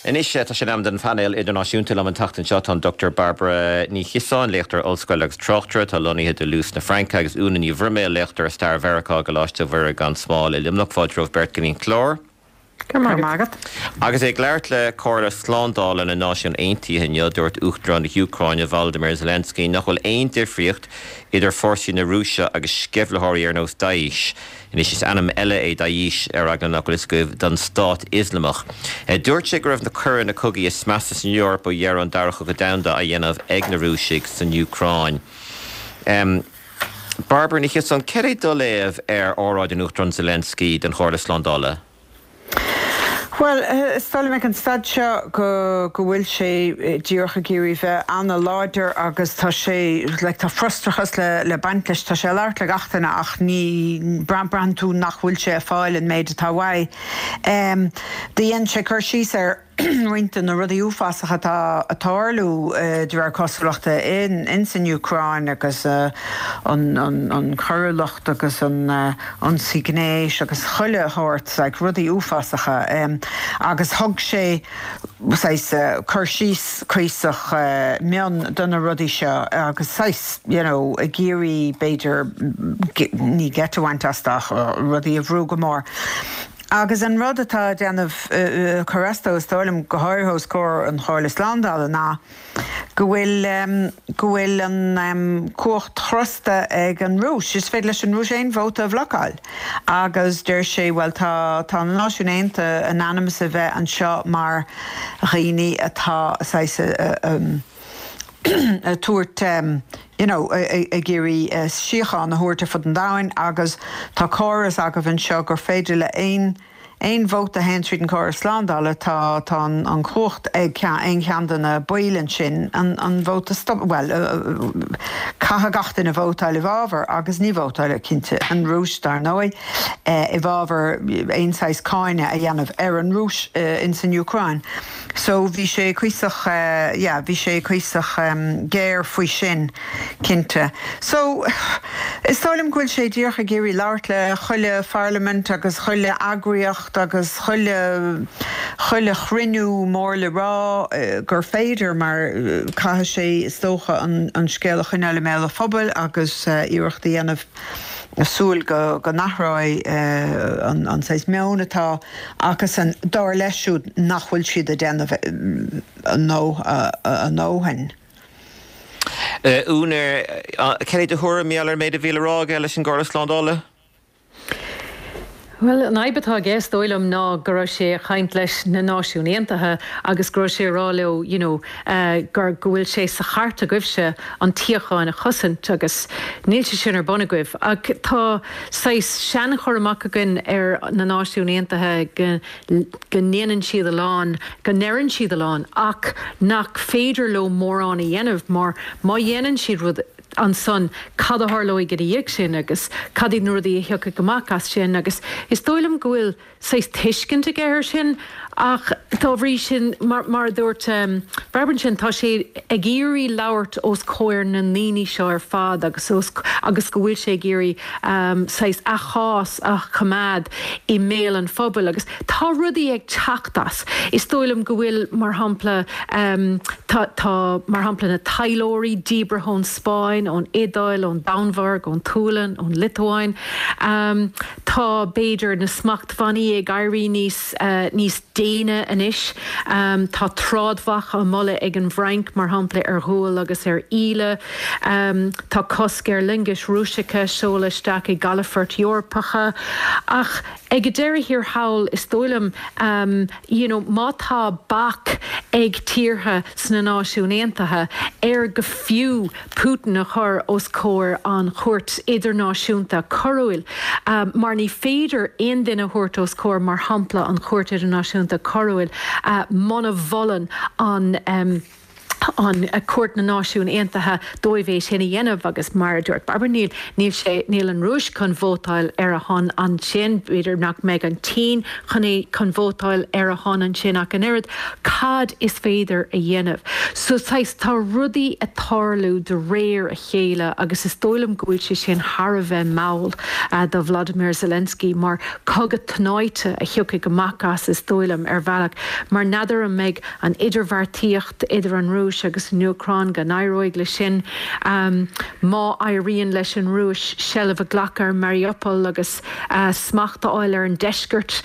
Anois tá sé in am don phainéal idirnáisiúnta. Liom an tseachtain seo tá an Dr Bairbre Ní Chiosáin, léachtóir ollscoile agus tráchtaire atá lonnaithe i dToulouse na Fraince, agus Úna Ní Bhroiméil, léachtóir i stair Mheiriceá i gColáiste Mhuire gan Smál i Luimneach. Fáilte romhaibh beirt go dtí an clár. Go raibh maith agat. Agus é ag labhairt le Comhairle Slándála na Náisiún Aontaithe inniu, dúirt Uachtarán na hÚcráine, Volodymyr Zelensky, nach bhfuil aon difríocht idir fórsaí na Rúise agus sceimhlitheoirí ar nós Daesh. Anois is ainm eile é Daesh, ar eagla nach bhfuil fhios agaibh, don Stát Ioslamach. Dúirt sé go raibh na coireanna cogaidh is measa san Eoraip ó dheireadh an Dara Cogadh Domhanda á dhéanamh ag na Rúisigh san Úcráin. Bairbre Ní Chiosáin, cad é do léamh ar óráid an Uachtaráin Zelensky don Chomhairle Slándála? Bhuel, is dóigh liom ag an staid seo go go bhfuil sé díreach ag iarraidh bheith ana-láidir agus tá sé, like, tá frustrachas le le baint leis. Tá sé ag labhairt le gach duine ach ní, braitheann tú nach bhfuil sé ag fáil an méid atá uaidh. Do dhein sé cur síos ar. roinnt de na rudaí uafásacha atá ag tarlú, de réir cosúlachta, ins an Úcráin agus an choiriúlacht agus an ionsaí gnéis agus chuile shórt, like, rudaí uafásacha. Agus thug sé saghas cur síos cuíosach mion do na rudaí seo agus saghas, you know, ag iarraidh, b'fhéidir, ní geit a bhaint astu ach rudaí a bhrú go mór. Agus an rud atá ag déanamh cur as dó, is dóigh liom, go háirithe os comhair an Chomhairle Slándála, ná go bhfuil go bhfuil an cumhacht chrosta ag an Rúis. Is féidir leis an Rúis aon vóta a bhlocáil. Agus deir sé, bhuel, tá tá na Náisiúin Aontaithe in ainm is a bheith anseo mar dhaoine atá saghas ag tabhairt you know ag iarraidh síocháin a thabhairt ar fud an domhain agus tá córas agaibh anseo gur féidir le aon aon vóta a théann tríd an córas slándála tá tá an an chumhacht ag ceann aon cheann de na baill ansin an an vóta stop bhuel caithfidh gach duine vótáil i bhfabhar agus ní vótálfaidh cinnte an Rúis dar ndóigh i bhfabhar aon saghas cáineadh a dhéanamh ar an Rúis ins an Úcráin. So bhí sé cuíosach, yeah, bhí sé cuíosach géar faoi sin, cinnte. So, is dóigh liom go bhfuil sé díreach ag iarraidh labhairt le chuile pharlaimint agus chuile eagraíocht agus chuile, chuile chruinniú mór le rá gur féidir mar caithfidh sé, is dócha, an, an scéal a choinneáil i mbéal an phobail agus iarracht a dhéanamh súil go, go n-athróidh an, an saghas meoin atá acusan, dar leis siúd nach bhfuil siad ag déanamh a ndóthain. Úna, cad é do thuairim mar gheall ar an méid a bhí le rá aige leis an gComhairle Slándála? Bhuel, an fhadhb atá aige, is dóigh liom, ná go raibh sé ag caint leis na Náisiúin Aontaithe agus go raibh sé ag rá leo, you know, gur, go bhfuil sé sa chairt agaibhse an tsíocháin a chosaint agus níl sé sin ar bun agaibh. Ach tá saghas sean-chur amach againn ar na Náisiúin Aontaithe go, go ndéanann siad a lán, go ndeireann siad a lán ach nach féidir leo mórán a dhéanamh mar má dhéanann siad rud ansan cad a tharlóidh ina dhiaidh sin agus cad iad na rudaí a thiocfaidh amach as sin agus is dóigh liom go bhfuil saghas tuiscint aige air sin ach dá bhrí sin, mar a dúirt Bairbre ansin, tá sé ag iarraidh labhairt os comhair na ndaoine seo ar fad agus os agus go bhfuil sé ag iarraidh saghas a chás a choimeád i mbéal an phobail agus tá rudaí ag teacht as. Is dóigh liom go bhfuil, mar shampla, tá, tá, mar shampla, na taidhleoirí díbrithe ón Spáinn, ón Iodáil, ón Danmhairg, ón tSualainn, ón Liotuáin. Tá, b'fhéidir, na smachtbhannaí ag éirí níos, níos déine anois. Tá trádbhac á moladh ag an bhFrainc, mar shampla, ar ghual agus ar íle. Tá cosc ar loingis Rúiseacha seoladh isteach i gcalafoirt Eorpacha. Ach ag an deireadh thiar thall, is dóigh liom, you know, má tá bac ag tíortha sna Náisiúin Aontaithe ar go fiú Putin a chur os comhair an Chúirt Idirnáisiúnta Coiriúil, mar ní féidir aon duine a thabhairt os comhair, mar shampla, an Chúirt Idirnáisiúnta Coiriúil, muna mholann an. An Cúirt na Náisiún Aontaithe dóibh é sin a dhéanamh agus mar a dúirt Barbara níl níl sé níl an Rúis chun vótáil ar a shon ansin, b'fhéidir nach mbeidh an tSín chun é chun vótáil ar a shon ansin ach an oiread. Cad is féidir a dhéanamh? So saghas tá rudaí ag tarlú de réir a chéile agus is dóigh liom go bhfuil sé sin thar a bheith mall do Vladimir Zelensky mar cogadh tnáite a thiocfaidh amach as is dóigh liom ar bhealach mar n'fheadar an mbeidh an idirbheartaíocht idir an Rúis agus an Úcráin, go n-éireoidh leis sin. Má éiríonn leis an Rúis seilbh a ghlacadh ar Mariupol agus smacht a fháil ar an deisceart,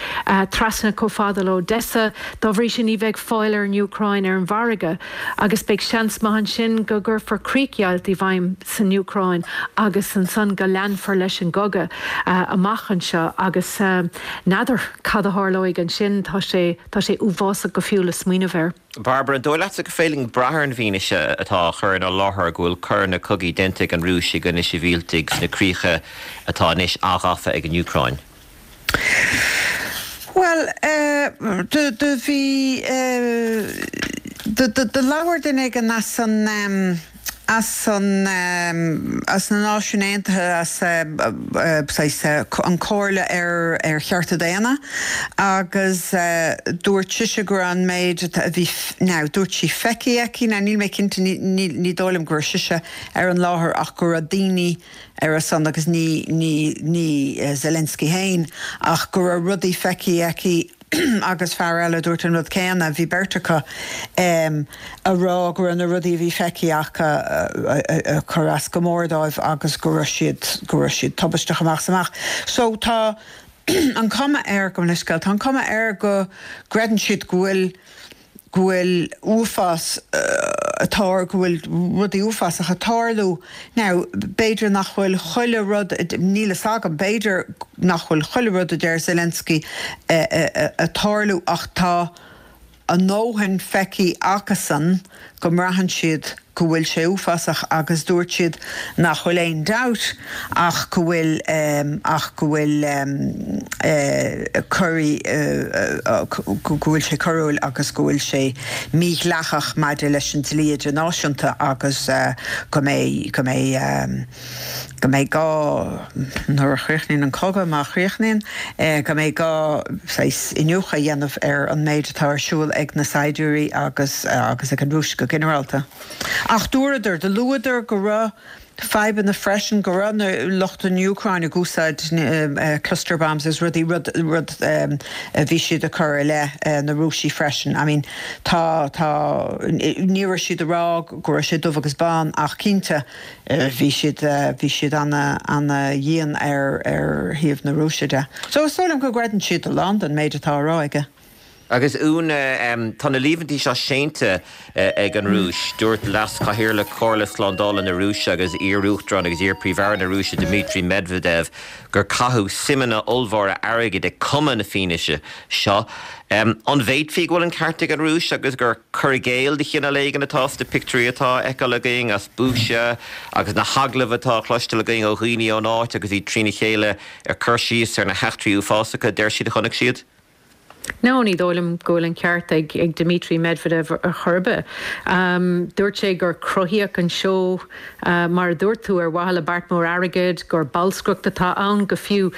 trasna chomh fada le Odessa, dá bhrí sin ní bheidh fáil ar an Úcráin ar an bhfarraige agus beidh seans maith ansin go gcuirfear críochdheighilt i bhfeidhm san Úcráin agus ansan go leanfar leis an gcogadh amach anseo agus n'fheadar cad a tharlóidh ansin. Tá sé. Tá sé uafásach go fiú le smaoineamh air. Barbara, an dóigh leatsa gur féidir linn brath ar an bhfianaise atá á chur inár láthair go bhfuil coireanna cogaidh déanta ag an Rúis i gcoinne sibhialtaigh sna críocha atá anois athghafa ag an Úcráin? Bhuel, do, do bhí, do, do, do labhair duine éigin as an, as an, as na Náisiúin Aontaithe, as saghas an Comhairle ar ar Chearta Daonna agus dúirt sise go raibh an méid a bhí, now dúirt sí feicthe aici, now níl mé cinnte, ní, ní, ní dóigh liom go raibh sise ar an láthair ach go raibh daoine ar a son agus ní, ní, ní Zelensky féin ach go raibh rudaí feicthe aici agus fear eile a dúirt an rud céanna, bhí beirt acu, a rá go raibh na rudaí a bhí feicthe acu ag cur as go mór dóibh agus go raibh siad, go raibh siad tubaisteach amach is amach. So tá an cuma air, gabh mo leithscéal, tá an cuma air go gcreideann siad go bhfuil, go bhfuil uafás ag tar, go bhfuil rudaí uafásacha ag tarlú. Now, b'fhéidir nach bhfuil chuile rud, níl fhios agam, b'fhéidir nach bhfuil chuile rud a deir Zelensky ag tarlú ach tá a ndóthain feicthe acusan go mbraitheann siad go bhfuil sé uafásach agus dúirt siad nach bhfuil aon dabht ach go bhfuil ach go bhfuil coirí go bhfuil sé coiriúil agus go bhfuil sé mídhleathach maidir leis an dlí idirnáisiúnta agus go mbeidh go mbeidh go mbeidh gá, nuair a chríochnaíonn an cogadh, má chríochnaíonn, go mbeidh gá saghas iniúchadh a dhéanamh ar an méid atá ar siúl ag na saighdiúirí agus agus ag an Rúis go ginearálta. Ach dúradar, do luadar go raibh fadhbanna freisin, go raibh na lucht an Úcráin ag úsáid cluster bombs agus rudaí, rud, rud a bhí siad ag cur i leith na Rúisigh freisin. I mean, tá, tá, ní raibh siad ag rá go raibh sé dubh agus bán ach cinnte, Bhí siad, bhí siad ana, ana dhian ar, ar thaobh na Rúise de. So is dóigh liom go gcreideann siad a lán den méid atá á rá aige. Agus Úna, tá na líomhaintí seo séanta ag an Rúis. Dúirt Leas-Chathaoirleach Chomhairle Slándála na Rúise agus iar-Uachtarán agus iar-Phríomh-Aire na Rúise Dmitry Medvedev gur caitheadh suimeanna ollmhóra airgid ag cumadh na fianaise seo. An bhféadfaí go bhfuil an ceart ag an Rúis agus gur cur i gcéill de chineál éigin atá sna pictiúirí atá á fheiceáil againn as Bucha agus na hagallaimh atá á chloisteáil againn ó dhaoine ón áit agus iad trína chéile ag cur síos ar na heachtraí uafásacha a deir siad a chonaic siad? No, ní dóigh liom go bhfuil an ceart ag Dmitry Medvedev ar chor ar bith. Dúirt sé gur cruthaíodh an seó, mar a dúirt tú, ar mhaithe le beart mór airgid, gur bolscaireacht atá ann, go fiú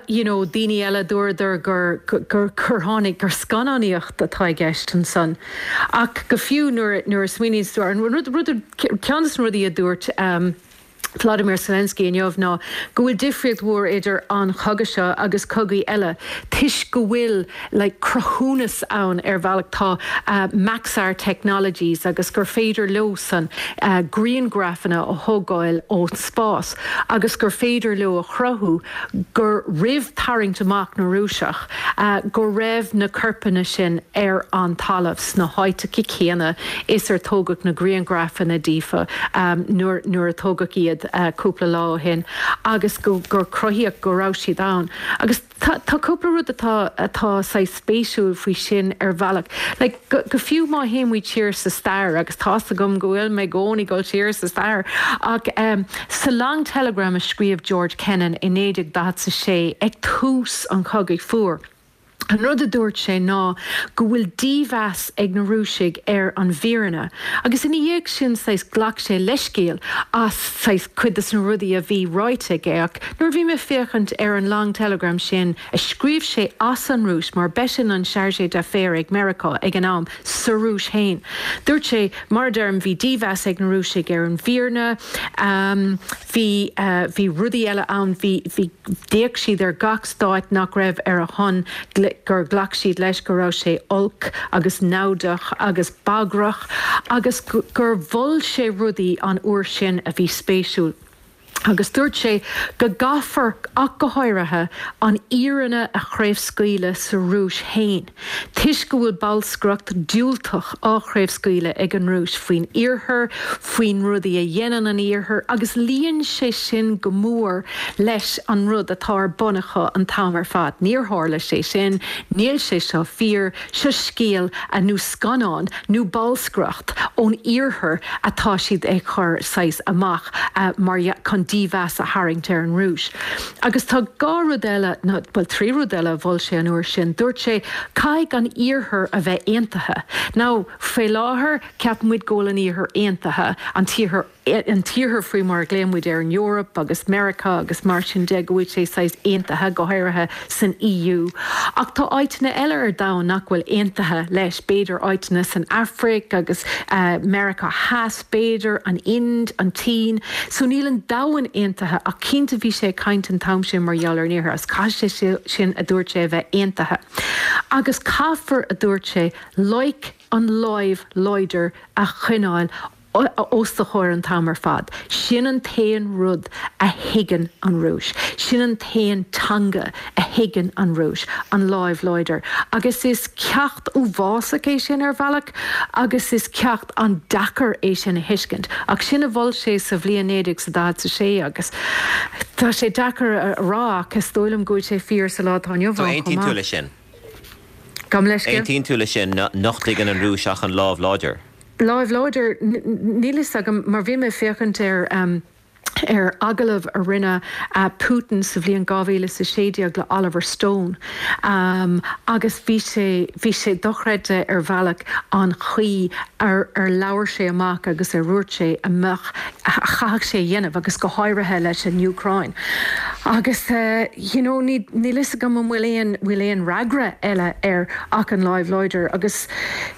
you know daoine eile dúradar gur gur gur tháinig gur scannánaíocht atá i gceist ansan. Ach go fiú nuair nuair a smaoiníonns tú ar an rud rud ceann de na rudaí a dúirt Vladimir Zelensky inniu ná go bhfuil difríocht mhór idir an chogadh seo agus cogaí eile toisc go bhfuil like cruthúnas ann ar bhealach tá Maxar Technologies agus gur féidir leosan grianghrafanna a thógáil ón spás agus gur féidir leo a chruthú gur roimh tarraingt amach na Rúiseach go raibh na corpanna sin ar an talamh sna háiteacha céanna is ar tógadh na grianghrafanna díofa nuair nuair a tógadh iad cúpla lá ó shin agus go gur cruthaíodh go raibh siad ann. Agus tá tá cúpla rud atá atá saghas spéisiúil faoi sin ar bhealach. Like go go fiú má théann muid siar sa stair agus tá's agam go bhfuil mé i gcónaí ag dul siar sa stair ach sa Long Telegram a scríobh George Kennan i 1946 ag tús an Chogaidh Fuair. An rud a dúirt sé ná go bhfuil dímheas ag na Rúisigh ar an bhfírinne agus ina dhiaidh sin saghas ghlac sé leithscéal as saghas cuid des na rudaí a bhí ráite aige ach nuair a bhí mé ag féachaint ar an long telegram sin a scríobh sé as an Rúis mar b'eisean an chargé d'affaires ag Meiriceá ag an am sa Rúis féin dúirt sé mar a deirim bhí dímheas ag na Rúisigh ar an bhfírinne bhí bhí rudaí eile ann bhí bhí D'fhéach siad ar gach stát nach raibh ar a shon gur ghlac siad leis go raibh sé olc agus naimhdeach agus bagrach agus gur mhol sé rudaí an uair sin a bhí spéisiúil. Agus dúirt sé go gcaithfear, ach go háirithe, an fhírinne a chraobhscaoileadh sa Rúis féin. Toisc go bhfuil bolscaireacht diúltach á chraobhscaoileadh ag an Rúis faoin Iarthar, faoin rudaí a dhéanann an Iarthar, agus luíonn sé sin go mór leis an rud atá ar bun acu an t-am ar fad. Níor tharla sé sin, níl sé seo fíor, seo scéal nó scannán nó bolscaireacht ón Iarthar atá siad ag cur saghas amach mar chun dímheas a tharraingt ar an Rúis. Agus tá dhá rud eile, nó bhuel trí rud eile a mhol sé an uair sin. Dúirt sé, caithfidh an Iarthar a bheith aontaithe. Now, faoi láthair, ceapann muid go bhfuil an Iarthar aontaithe, an tIarthar, an tIarthar faoi mar a ghlaonn muid ar an Eoraip agus Meiriceá agus mar sin de, go bhfuil sé saghas aontaithe, go háirithe san EU. Ach tá áiteanna eile ar domhan nach bhfuil aontaithe leis, b'fhéidir áiteanna san Afraic agus Meiriceá Theas, b'fhéidir, an Ind, an tSín. So níl an domhan aontaithe ach cinnte bhí sé ag caint an t-am sin mar gheall ar an Iarthar agus caithfidh sé sin, a dúirt sé, a bheith aontaithe. Agus caithfear, a dúirt sé, loic an láimh láidir a choinneáil os do chomhair an t-am ar fad. Sin an t-aon rud a thuigeann an Rúis. Sin an t-aon teanga a thuigeann an Rúis, an láimh láidir. Agus is ceacht uafásach é sin ar bhealach agus is ceacht an-deacair é sin a thuiscint. Ach sin a mhol sé sa bhliain 1946 agus tá sé deacair a rá ach is dóigh liom go bhfuil sé fíor sa lá atá inniu ann chomh maith. Aontaíonn tú leis sin? Gabh mo leithscéal? Aontaíonn tú leis sin nach dtuigeann an Rúis ach an lámh láidir? Láimh láidir? Níl fhios agam mar bhí mé ag féachaint ar ar agallamh a rinne Putin sa bhliain 2016 le Oliver Stone agus bhí sé bhí sé dochreidte ar bhealach an chaoi ar ar labhair sé amach agus ar dhúirt sé a mbeadh a chaithfeadh sé a dhéanamh agus go háirithe leis an Úcráin agus you know ní níl fhios agam an bhfuil aon bhfuil aon fhreagra eile air ach an láimh láidir agus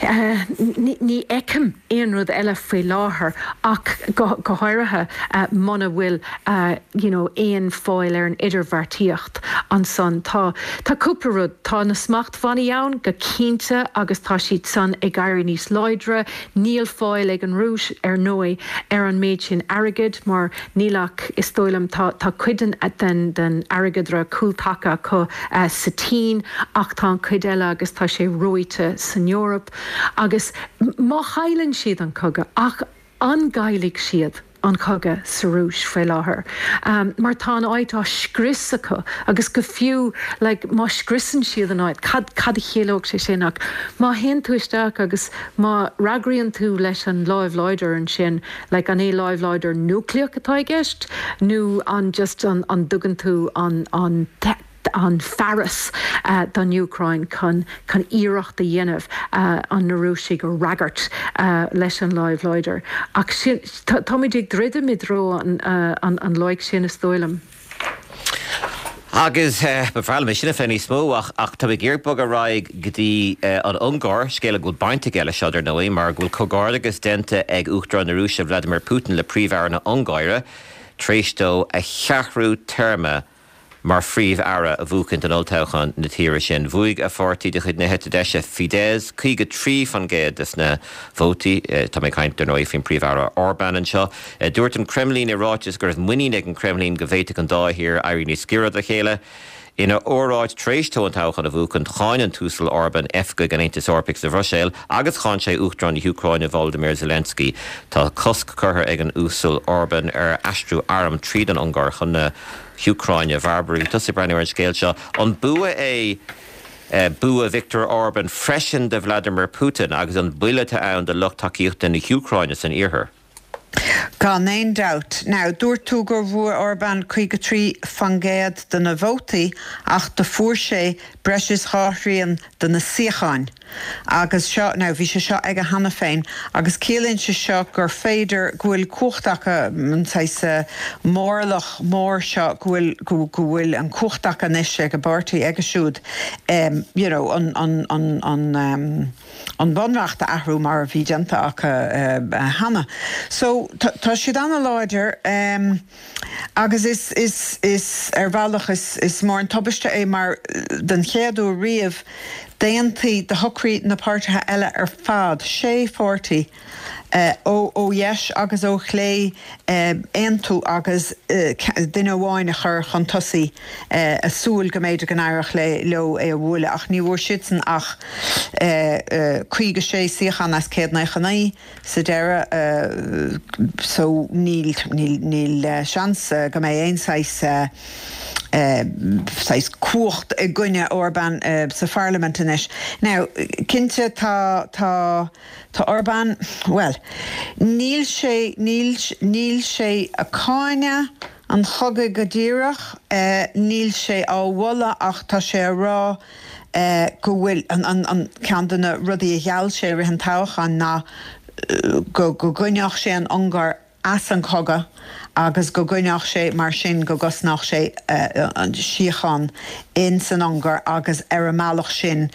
ní ní fheicim aon rud eile faoi láthair ach go go háirithe muna bhfuil you know aon fáil ar an idirbheartaíocht ansan. Tá tá cúpla rud, tá na smachtbhannaí ann go cinnte agus tá siad san ag éirí níos láidre. Níl fáil ag an Rúis ar ndóigh ar an méid sin airgid mar níl ach is dóigh liom tá tá cuid den den den airgeadra cúltaca acu sa tSín ach tá an chuid eile agus tá sé reoite san Eoraip. Agus má chailleann siad an cogadh, ach an gcaillfidh siad an cogadh sa Rúis faoi láthair? Mar tá an áit á scrios acu agus go fiú like má scriosann siad an áit, cad, cad a chiallódh sé sin? Ach má théann tú isteach agus má fhreagraíonn tú leis an láimh láidir ansin, like an é láimh láidir núicléach atá i gceist nó an just an, an dtugann tú an, an, an fearas don Úcráin chun chun iarracht a dhéanamh an na Rúisigh a fhreagairt leis an láimh láidir. Ach sin, táimid ag druidim i dtreo an an loic sin is dóigh liom. Agus ba bhreá liom é sin a phlé níos mó ach ach tá mé ag iarraidh bogadh ar aghaidh go dtí an Ungáir, scéal a bhfuil baint aige leis seo dar ndóigh mar go bhfuil comhghairdeachas déanta ag Uachtarán na Rúise Vladimir Putin le Príomh-Aire na hUngáire tar éis dó a cheathrú téarma mar Phríomh-Aire a bhuachaint in olltoghchán na tíre sin. Bhuaigh a pháirtí de chuid na heite deise, Fidesz, 53% des na vótaí. Tá mé ag caint, dar ndóigh, faoin Príomh-Aire Orbán anseo. Dúirt an Creimlín i ráiteas go raibh muinín ag an Creimlín go bhféadfadh an dá thír éirí níos giorra dá chéile. Ina óráid tar éis dó an toghchán a bhuachaint, cháin an tUasal Orbán oifigigh an Aontais Eorpaigh sa Bhruiséil agus cháin sé Uachtarán na hÚcráine Volodymyr Zelensky. Tá cosc curtha ag an Uasal Orbán ar aistriú arm tríd an Ungáir chun na hÚcráine. A Bhairbre, bhí tusa ag breathnú ar an scéal seo. An bua é bua Viktor Orbán freisin do Vladimir Putin agus an buille atá ann do lucht tacaíochta na hÚcráine san iarthar? Gan aon dabht. Now, dúirt tú gur bhuaigh Orbán 53% de na vótaí ach do fuair sé breis is dha thrian de na suíocháin. Agus seo, now, bhí sé seo aige cheana féin agus ciallaíonn sé seo gur féidir go bhfuil cumhacht acu, an saghas mórlach mór seo, go bhfuil, go, go bhfuil an cumhacht acu anois ag an bpáirtí aige siúd, you know, an, an, an, an, an bunreacht a athrú mar a bhí déanta acu cheana. So, tá siad ana-láidir agus is, is, is, ar bhealach is, is mór an tubaiste é mar den chéad uair riamh d'aontaigh, do shocraigh na páirtithe eile ar fad, sé pháirtí, ó dheis agus ó chlé aontú agus duine amháin a chur chun tosaigh ag súil go mb'fhéidir go n-éireodh leo é a bhualadh ach ní bhfuair siadsan ach 56 suíochán as 199 sa deireadh so níl níl seans go mbeidh aon saghas saghas cumhacht i gcoinne Orban sa pharlaimint anois. Now cinnte tá tá Tá Orbán, bhuel, níl sé, níl, níl sé ag cáineadh an chogaidh go díreach, níl sé á mholadh ach tá sé a rá go bhfuil, an, an, an, ceann de na rudaí a gheall sé i rith an toghcháin ná go, go gcoinneodh sé an Ungáir as an chogadh agus go gcoinneodh sé mar sin go gcosnódh sé an síocháin in san Ungáir agus ar an mbealach sin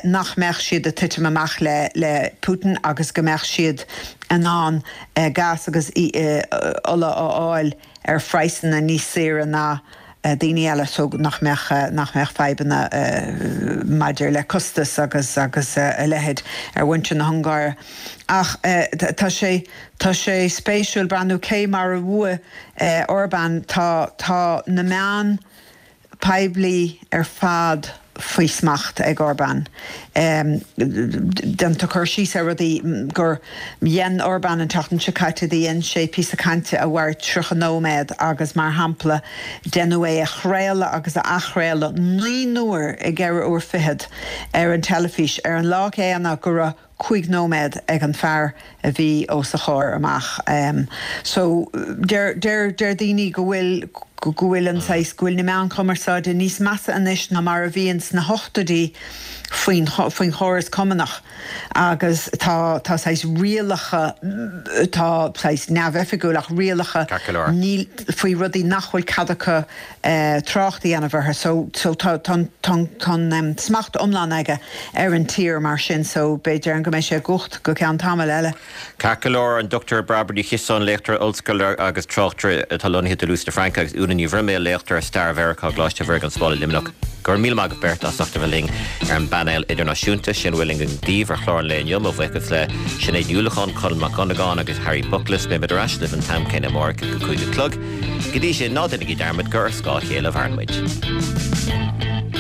nach mbeadh siad ag titim amach le le Putin agus go mbeadh siad in ann gás agus ola a fháil ar phraghsanna níos saoire ná daoine eile so nach mbeadh nach mbeadh fadhbanna maidir le costas agus agus a leithéid ar mhuintir na hUngáire. Ach tá sé tá sé spéisiúil breathnú cé mar a bhuaigh Orbán tá tá na meáin poiblí ar fad faoi smacht ag Orbán. Déantar cur síos ar rudaí gur dhein Orbán an tseachtain seo caite, do dhein sé píosa cainte a mhair 30 nóiméad agus mar shampla deineadh é a chraoladh agus a athchraoladh 9 n-uair i gceithre uair fichead ar an teilifís ar an lá céanna go raibh 5 nóiméad ag an fear a bhí os a chomhair amach. So deir deir deir daoine go bhfuil go bhfuil an saghas go bhfuil na meáin chumarsáide níos measa anois ná mar a bhí ins na hochtóidí faoin faoin chóras cumannach agus tá tá saghas rialacha tá saghas neamhoifigiúil ach rialacha Ceart go leor. níl faoi rudaí nach bhfuil cead acu trácht a dhéanamh orthu. So so tá tá an tá an tá an smacht iomlán aige ar an tír mar sin so b'fhéidir go mbeidh sé i gcumhacht go ceann tamaill eile. Ceart go leor, an Dr Bairbre Ní Chiosáin, léachtóir ollscoile agus tráchtaire atá lonnaithe i Toulouse na Fraince agus Úna Ní Bhroiméil, léachtóir ar Stair Mheiriceá i gColáiste Mhuire gan Smál i Luimneach. Go raibh míle maith agaibh beirt as ucht a bheith linn ar an bpainéal idirnáisiúnta. Sin a bhfuil againn daoibh ar chlár an lae inniu. Mo bhuíochas le Sinéad Ní Uallacháin, Colm Mac Dhonnagáin agus Harry Bookless. Beimid ar ais libh an t-am céanna amárach ag a 5 a chlog. Go dtí sin, ná déanaigí dearmad gur ar scáth a chéile a mhaireann muid.